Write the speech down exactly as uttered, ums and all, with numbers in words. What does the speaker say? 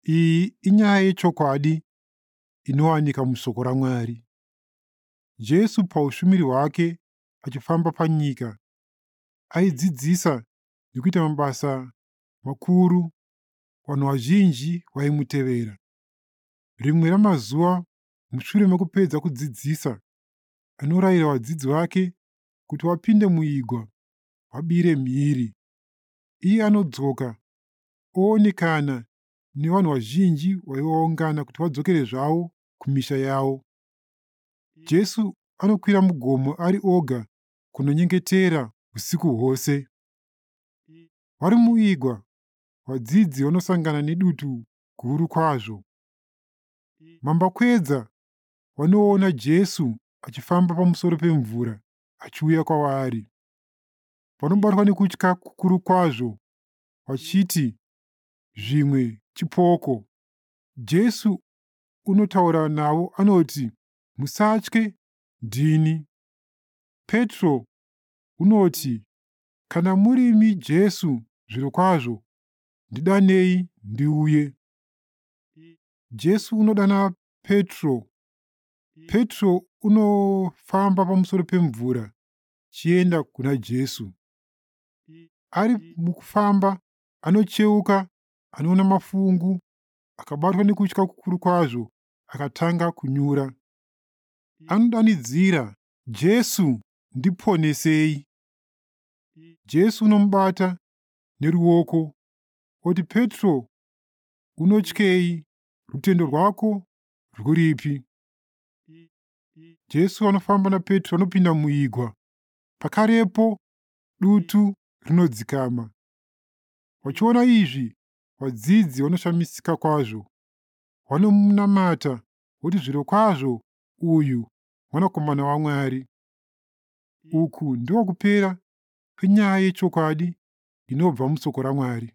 Iyi inyaya yechokwadi inowanika mushoko raMwari. Jesu paushumiri hwake achifamba panyika, aidzidzisa nekuita mabasa makuru. Vanhu vazhinji vaimutevera. Rimwe ramazuva mushure mekupedza kudzidzisa, anorayira vadzidzi vake kuti vapinde muigwa vabire mhiri. Iye anodzoka oonekana nevanhu vazhinji vaiva vaungana kuti vadzokere zvavo kumisha yavo. Jesu anokwira mugomo ari oga kunonyengetera usiku hwose. Vari muigwa, vadzidzi vanosangana nedutu guru kwazvo. Mambakwedza vanoona Jesu achifamba pamusoro pemvura achiuya kwavari. Vanobatwa nekutya kukuru kwazvo vachiti zvimwe chipoko. Jesu unotaura navo anoti, "Musatye, ndini." Petro unoti, "Kana murimi Jesu zvirokwazvo, ndidanei ndiuye." Jesu unodana Petro. Petro unofamba pamusoro pemvura chienda kuna Jesu. Ari mukufamba anocheuka, anoona mafungu, akabatwa nekutya kukuru kwazvo, akatanga kunyura. Anodanidzira, "Jesu, ndiponesei!" Jesu unomubata neruoko oti, "Petro, unotyei? Rutendo rwako rwuripi?" Jesu anofamba naPetro anopinda muigwa. Pakarepo dutu rinodzikama. Vachiona izvi, vadzidzi vanoshamisika kwazvo. Vanomunamata voti, "Zvirokwazvo uyu mwanakomana waMwari." Uku ndiko kupera kwenyaya yechokwadi inobva mushoko raMwari.